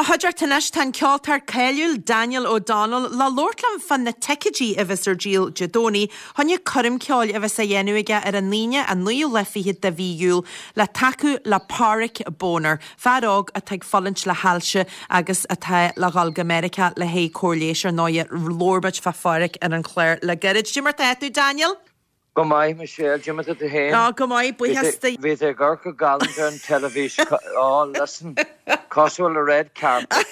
mo chuideachta anois tá an ceoltóir cáiliúil Daniel O'Donnell le labhairt liom fá na ticéidí a bheas ar díol Dé Domhnaigh choinne coirm ceoil a bheas á dhéanamh aige ar an Aoine an naoú lá fichead de mhí Iúil le tacú le Páraic Boner, fear óg atá ag fulaingt le hailse agus atá le dhul go Meiriceá le haghaidh cóir leighis. Ar ndóighe, labhair muid fá Pháraic ar an chlár le gairid. Cad é mar tá tú, Daniel? Go maith, Michelle, cad é mar tá tú féin? Á, go maith, buíochas do. Bhí tú ag amharc go galánta ar an teilifís, á, listen, cosúil le red carpet.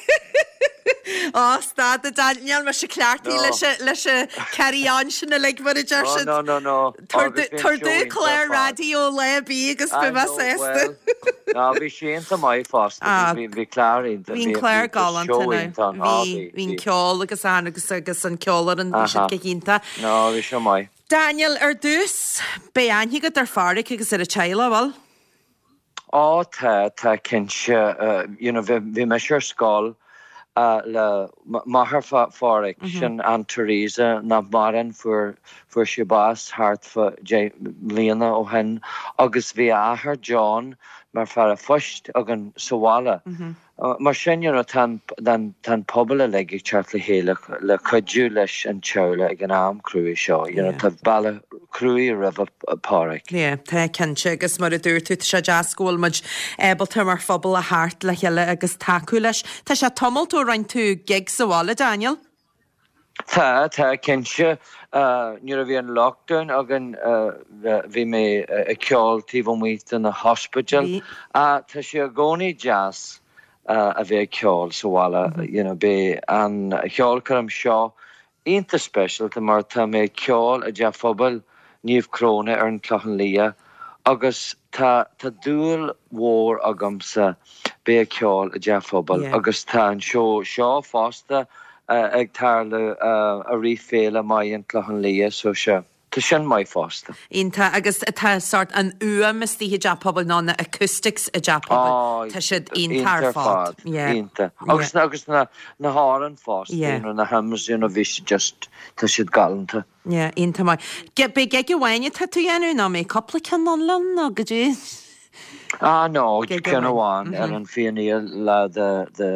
Á, stad a Daniel, níl mise cleachtaithe leis an, leis an carry on sin uilig mar a deir siad. No, no, no, no. Tabhair domh clár raidió lá ar bith agus beidh mé sásta. No, bhí sé iontach maith fosta, bhí, bhí clár iontach, bhí an clár galánta now, bhí, bhí an ceol agus an, agus, agus an ceolfhoireann, bhí siad go hiontach. No, bhí sé maith. Daniel, ar dtús, beidh aithne agat ar Pháraic agus ar a teaghlach, bhfuil? Á tá, tá cinnte. You know, bhí, bhí mise ar scoil le máthair Pháraic, sin Aunt Teresa, nach maireann, fuair, fuair sí bás thart fá 10 mbliana ó shin agus bhí a athair John mar fear a phoist againn sa bhaile. Mar sin, you know, tá an, tá an pobal uilig ag teacht le chéile le cuidiú leis an teaghlach ag an am cruaidh seo, you know, tá bealach cruaidh roimhe Páraic. Yeah, tá cinnte agus mar a dúirt tú, tá sé deas go bhfuil muid ábalta mar phobal a theacht le chéile agus tacú leis. Tá sé tamalt ó rinne tú gig sa bhaile, Daniel? Tá, tá, cinnte. Nuair a bhí an lockdown againn bhí mé ag ceol taobh amuigh de na hospidéil. Tá sé i gcónaí deas a bheith ag ceol sa bhaile. You know, beidh an cheolchoirm seo iontach speisialta mar tá mé ag ceol i dTeach Phobail Naomh Cróna ar an Chlochán Liath agus tá tá dúil mhór agamsa bheith ag ceol i dteach phobail agus tá an seó seo fosta ag tarlú i rith Féile Maith an Clochán Liath so sea tá sin maith fosta. Iontach agus tá sort an fhuaim istigh i dteach pobail nó na acoustics i dteach pobail tá siad iontach ar fad. Iontach agus agus na na hamhráin fosta you know na hymns you know bhí siad just tá siad galánta. Yeah, iontach maith. Beidh gig amháin atá tú a dhéanamh nó mbeidh cúpla ceann ann linn nó goidé? Ah no, ceann amháin ar an 29ú lá de de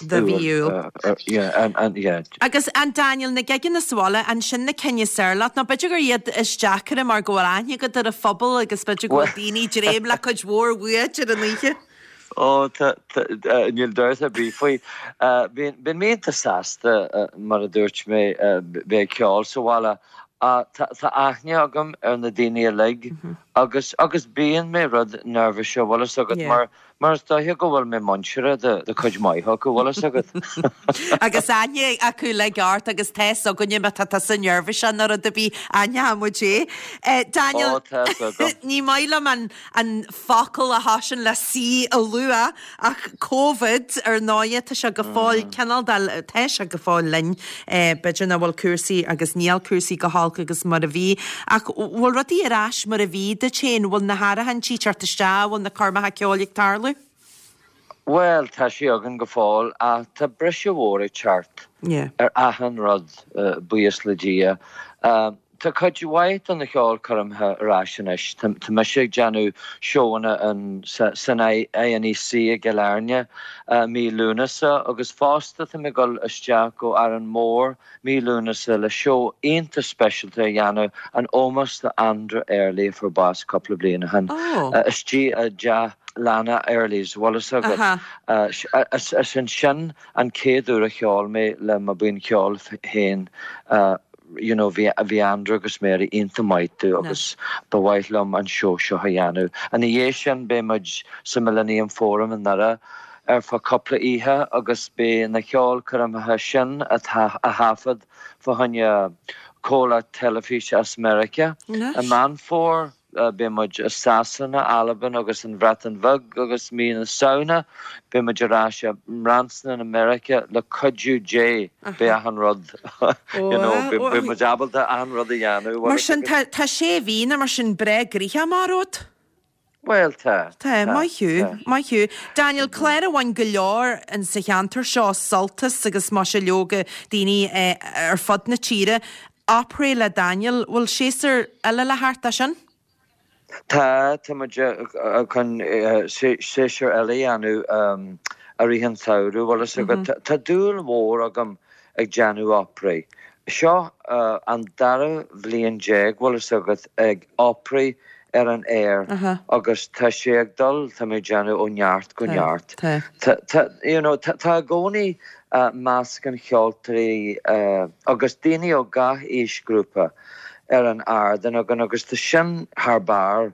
de mhí Iúil. Yeah, an an yeah. Agus an Daniel, na gigeanna sa bhaile, an sin na cinn is fearr leat nó b'fhéidir gur iad is deacaire mar go bhfuil aithne agat ar an phobal agus b'fhéidir go bhfuil daoine ag dréim le cuid mhór uait ar an oíche? Ó, tá, tá, níl dabht ar bith faoi. Bíonn, bíonn mé iontach sásta, mar a dúirt mé, bheith ag ceol sa bhaile. Tá, tá aithne agam ar na daoine uilig agus, agus bíonn mé rud neirbhíseach, bhfuil fhios agat, mar, mar is dóiche go bhfuil mé muinteartha do, do cuid maith acu, bhfuil fhios agat. Agus aithne acu uilig ort agus tá fhios againne má tá tusa neirbhíseach nó rud ar bith, aithneoidh muid é. Daniel, Ó, tá fhios agam. ní maith liom an, an focal a thosaíonn le C a lua ach Covid, ar ndóighe, tá sé go fóill cineál de, tá sé go fóill linn. B'fhéidir nach bhfuil cúrsaí agus níl cúrsaí chomh holc agus mar a bhí ach bhfuil rudaí ar ais mar a bhí duit féin? Bhfuil na háirithintí ag teacht isteach? Bhfuil na coirmeacha ceoil ag tarlú? Bhuel, tá sé againn go fóill ach tá briseadh mhór ag teacht ar achan rud, buíochas le Dia. Tá cuid mhaith de na ceolchoirmeacha ar ais anois. Tá mise ag déanamh seóanna san INEC i gCill Airne mí Lúnasa agus fosta tá mé ag dul isteach go Árainn Mhór mí Lúnasa le seó iontach speisialta a dhéanamh in ómós do Andrew Earley a fuair bás cúpla bliain ó shin istigh i dteach leanna Early's, bhfuil fhios agat. Is ansin an chéad uair a cheol mé le mo bhuíon cheoil féin. you know bhí bhí Andrew agus Mary iontach maith domh agus ba mhaith liom an seó seo a dhéanamh. Ina dhiaidh sin beidh muid sa Millennium Forum i nDoire ar feadh cúpla oíche agus beidh na ceolchoirmeacha sin á thaifead fá choinne comhlacht teilifíse as Meiriceá i Meán Fómhair. Beidh muid i Sasana, Albain agus an Bhreatain Bheag agus mí na Samhna beidh muid ar ais i mBranson i Meiriceá le cuidiú Dé beidh achan rud you know beidh muid ábalta achan rud a dhéanamh. Mar sin tá tá sé mhí nó mar sin breá gnoitheach amach romhat? Bhuel tá, Tá, maith thú, maith thú. Daniel, clár a bhain go leor in sa cheantar seo sult as agus maise leoga daoine ar fud na tíre. Opry le Daniel, bhfuil séasúr eile le theacht as sin? Tá, tá muid chun séasúr eile a dhéanamh. I rith an tsamhraidh, bhfuil fhios agat. Tá dúil mhór agam ag déanamh opry. Seo an dara bhliain déag, bhfuil fhios agat, ag opry ar an aer agus tá sé ag dul, tá mé ag déanamh ó neart go neart. Tá, you know, tá i gcónaí meascán cheoltóirí agus daoine ó gach aoisghrúpa ar an ardán againn agus tá sin thar barr.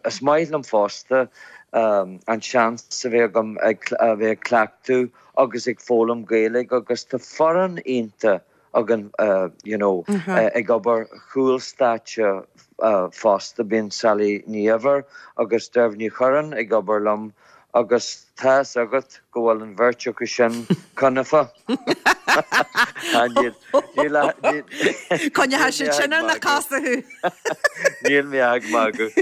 Is maith liom fosta an seans a bheith agam a bheith ag cleachtadh agus ag foghlaim Gaeilge agus tá foireann iontach againn you know ag obair chúl stáitse fosta. Bíonn Sally Ní Eibhir agus Deirbhile Ní Churráin ag obair liom agus tá fhios agat go bhfuil an bheirt acu sin conafa. Coinneoidh siad sin ar na cosa thú. Níl mé ag magadh.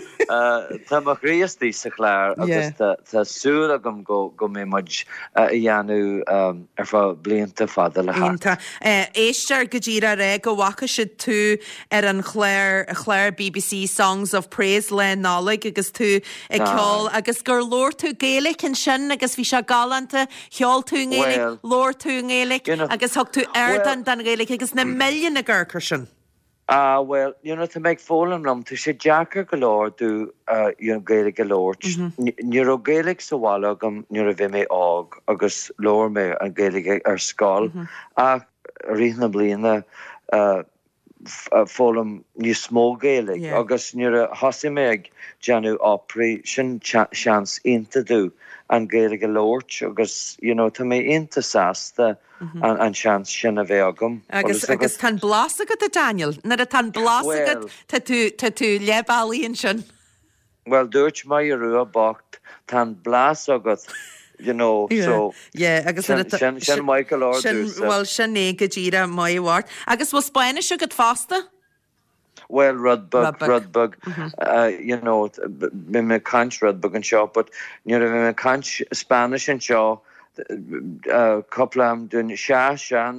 Tá mo chroí istigh sa chlár agus tá súil agam go mbeidh muid a dhéanamh ar feadh blianta fada le theacht. Iontach. Éisteoir go díreach ag rá go bhfaca siad tú ar an chlár, chlár BBC Songs of Praise Lá Nollag agus tú ag ceol agus gur labhair tú Gaeilge ansin agus bhí sé galánta, cheol tú i nGaeilge, labhair tú i nGaeilge agus thug tú ardán don Ghaeilge agus na milliúin ag amharc air sin. Ah bhuel, you know, tá mé ag foghlaim liom, tá sé deacair go leor domh you know, Gaeilge a labhairt. Ní raibh Gaeilge sa bhaile agam nuair a bhí mé óg agus labhair mé an Ghaeilge ar scoil ach i rith na bliana foghlaim níos mó Gaeilge agus nuair a thosaigh mé ag déanamh opry, sin seans iontach domh an Ghaeilge a labhairt agus you know, tá mé iontach sásta an seans sin a bheith agam. Agus agus tá an blas agat a Daniel. Nuair atá an blas agat tá tú tá tú leath bealaigh ansin. Bhuel dúirt Máire Rua bocht tá an blas agat you know so Yeah agus sin sin sin maith go leor domhsa. Bhuel sin é go díreach maith mhart. Agus bhfuil Spáinnis agat fosta? Bhuel, rud beag, rud beag, you know, bhí mé ag caint rud beag anseo, but nuair a bhí mé ag caint Spanish anseo, cúpla am dún, sea, sea,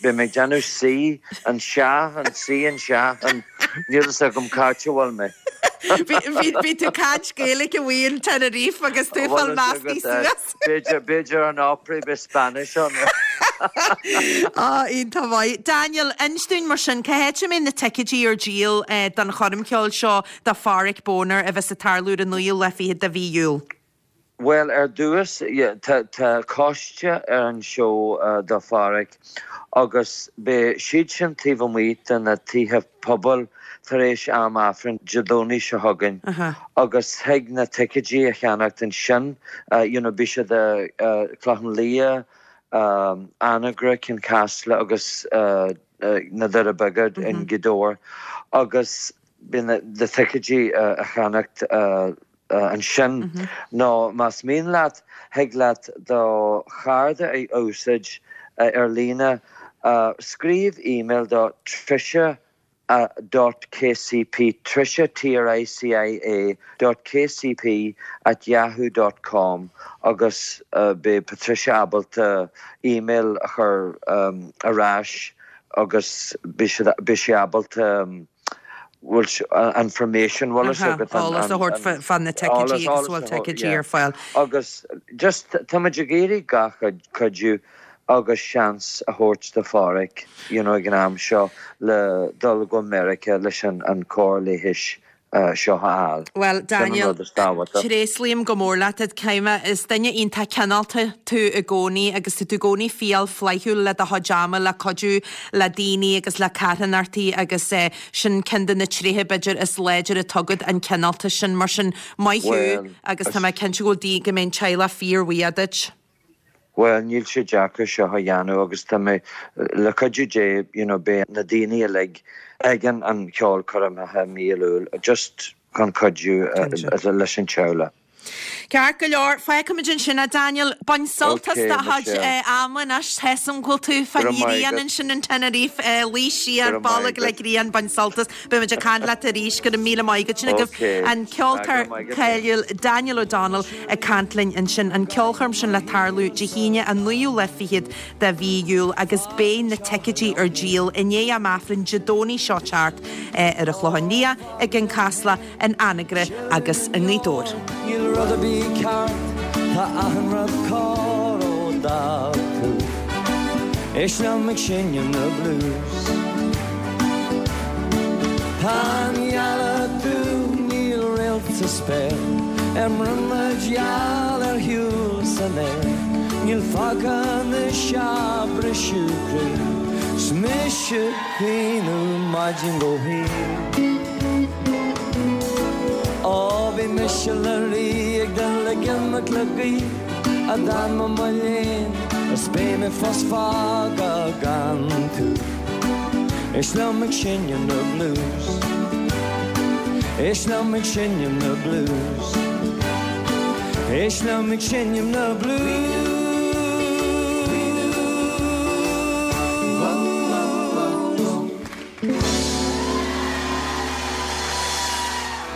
bhí mé ag déanamh sí, an sea, an sí, an sea, an, níl fhios agam cá háit a bhfuil mé. Bhí tú ag caint Gaeilge amuigh in Tenerife agus tú ag fáil measctha suas. B'fhéidir, b'fhéidir an Opry beidh Spanish ann. Á, iontach maith. Daniel, inis dúinn mar sin, cá háit a mbeidh na ticéidí ar díol don choirm cheoil seo do Pháraic Boner a bheas ag tarlú ar an naoú lá fichead de mhí Iúil? Bhuel, ar dtús, tá, tá coiste ar an seó do Pháraic agus beidh siad sin taobh amuigh de na tithe pobail tar éis am Aifrinn Dé Domhnaigh seo chugainn agus thig na ticéidí a cheannacht ansin, you know, beidh siad i Clochán Liath, Anagaire, Cionn Caslach agus na Doirí Beaga in Gaoth Dobhair agus beidh na ticéidí a cheannacht ansin nó más mian leat thig leat do chárta a úsáid ar líne, scríobh email do Tricia dot kcp, Tricia, T-R-I-C-I-A, dot kcp at yahoo dot com agus beidh Patricia ábalta email a chur ar ais agus beidh sí ábalta bhfuil information bhfuil fhios agat an eolas a thabhairt fá na ticéidí agus bhfuil ticéidí ar fáil. Agus just táimid ag iarraidh gach cuidiú agus seans a thabhairt do Pháraic you know ag an am seo le dul go Meiriceá leis an cóir leighis seo a fháil. Bhuel Daniel, tréaslaím go mór leat Caoimhe, is duine iontach cineálta tú i gcónaí agus tá tú i gcónaí fial flaithiúil le do chuid ama le cuidiú le daoine agus le carthanachtaí agus sin ceann de na tréithe b'fhéidir is láidre atá agat, an cineáltas sin. Mar sin, maith thú agus tá mé cinnte go bhfuil go mbeidh an teaghlach fíorbhuíoch duit. Bhuel, níl sé deacair seo a dhéanamh agus tá mé, le cuidiú Dé, you know, beidh na daoine uilig ag an an cheolchoirm i mí Iúil just chun cuidiú leis an teaghlach. Ceart go leor, fágfaimid ansin é Daniel. Bain sult as do chuid ama anois, tá 'fhios a'm go bhfuil tú fán ghrian ansin in Tenerife, luí siar, bolg le grian, bain sult as. Beimid ag caint leat arís, go raibh míle maith agat. Sin agaibh an ceoltóir cáiliúil Daniel O'Donnell ag caint linn ansin. An ceolchoirm sin le tarlú Dé hAoine an naoú lá fichead de mhí Iúil agus beidh na ticéidí ar díol i ndiaidh am Aifrinn Dé Domhnaigh seo teacht ar an Chlochán Liath, i gCionn Caslach, in Anagaire agus i nGaoth Dobhair. Níl rud ar bith ceart. Tá achan rud cóir ó d'fhág tú. Éist liom ag seinm na blues. Tá an ghealach dubh, níl réalt sa spéir. Ar mbrionglóid gheal ar shiúl san aer. Níl fágtha anois ach briseadh croí. 'S mise ag caoineadh maidin go hoíche. Ó bhí mise le rí ag dul ag imeacht le gaoth a d'fhan mé mo léan is beidh mé fós fágtha gan tú. Éist liom ag seinm na blues. Éist liom ag seinm na blues. Éist liom ag seinm na blues.